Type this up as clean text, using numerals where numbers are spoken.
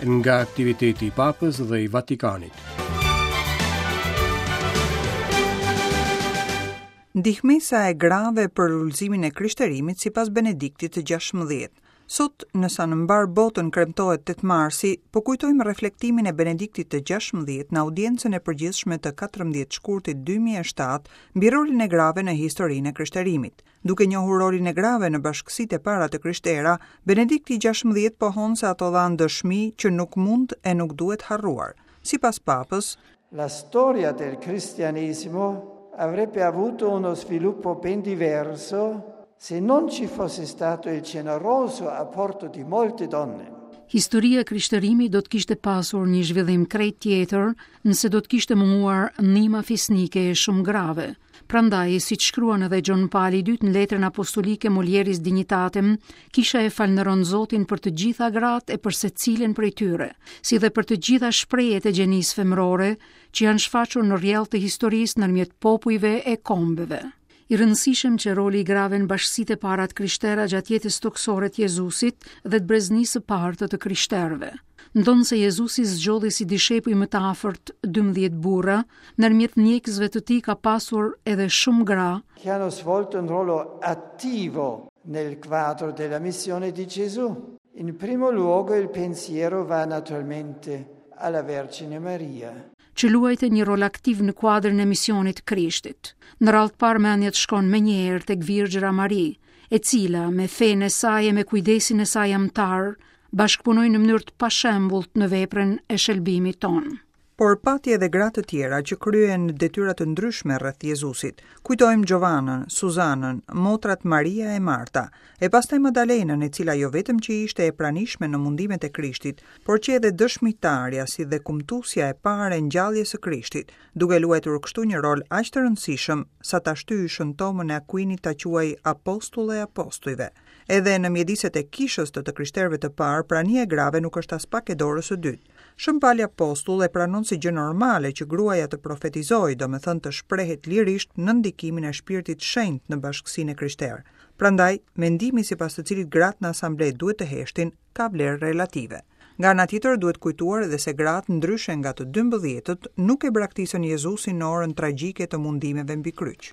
Nga aktiviteti i Papës dhe i Vatikanit. Ndihmesa e grave për lulëzimin e krishterimit sipas Benediktit të 16. Sot, në sa në mbarë botën kremtohet 8 marsi, po kujtojmë reflektimin e Benediktit të 16 në audiencën e përgjithshme të 14 shkurtit 2007 mbi rolin e grave në historinë e krishterimit. Duke njohur rolin e grave në bashkësitë e para të krishtera, Benedikti i 16 pohon se ato dhanë dëshmi që nuk mund e nuk duhet harruar. Sipas Papës, La storia del cristianesimo avrebbe avuto uno sviluppo ben diverso se non ci fosse stato il generoso apporto di molte donne. Historia e krishterimit do të kishte pasur një zhvillim krejt tjetër nëse do të kishte munguar ndihma fisnike e shumë grave. Prandaj, siç shkruan edhe Gjon Pali i Dytë në letrën apostolike Mulieris Dignitatem, Kisha e falënderon Zotin për të gjitha gratë e për secilën prej tyre, si dhe për të gjitha shprehjet e gjenisë femërore që janë shfaqur në rrjedhë të historisë ndërmjet popujve e kombeve. I rëndësishëm qe roli i grave në bashkësitë e para të krishtera gjatë jetës tokësore të Jezusit dhe të breznisë së parë të të krishterëve. Ndonëse Jezusi zgjodhi si dishepuj më të afërt 12 burra, ndërmjet ndjekësve të tij ka pasur edhe shumë gra, Che hanno svolto un ruolo attivo nel quadro della missione di Gesù. In primo luogo il pensiero va naturalmente alla Vergine Maria. që luajtën një rol aktiv në kuadrin e misionit të Krishtit. Në radhë të parë mendja të shkon menjëherë tek Virgjëra Mari, e cila me fenë e saj e me kujdesin e saj amtar bashkëpunoi në mënyrë të pashembullt në veprën e shëlbimit tonë. Por pati edhe gra të tjera që kryen detyra të ndryshme rreth Jezusit. Kujtojmë Xhovanën, Suzanën, motrat Maria e Marta, e pastaj Madalenën, e cila jo vetëm që ishte e pranishme në mundimet e Krishtit, por qe edhe dëshmitarja si dhe kumtuesja e parë e ngjalljes së Krishtit, duke luajtur kështu një rol aq të rëndësishëm sa ta shtyjë Shën Tomën e Akuinit ta quajë apostull e apostujve. Edhe në mjediset e kishës të të krishterëve të parë, prania e grave nuk është aspak e dorës së dytë. Shën Pali Apostull e pranon si gjë normale që gruaja të profetizojë, domethënë të shprehet lirisht nën ndikimin e Shpirtit Shenjt në bashkësinë e krishterë. Prandaj, mendimi sipas të cilit gratë në asamble duhet të heshtin, ka vlerë relative. Nga ana tjetër, duhet kujtuar edhe se gratë, ndryshe nga të dymbëdhjetët, nuk e braktisën Jezusin në orën tragjike të mundimeve mbi kryq.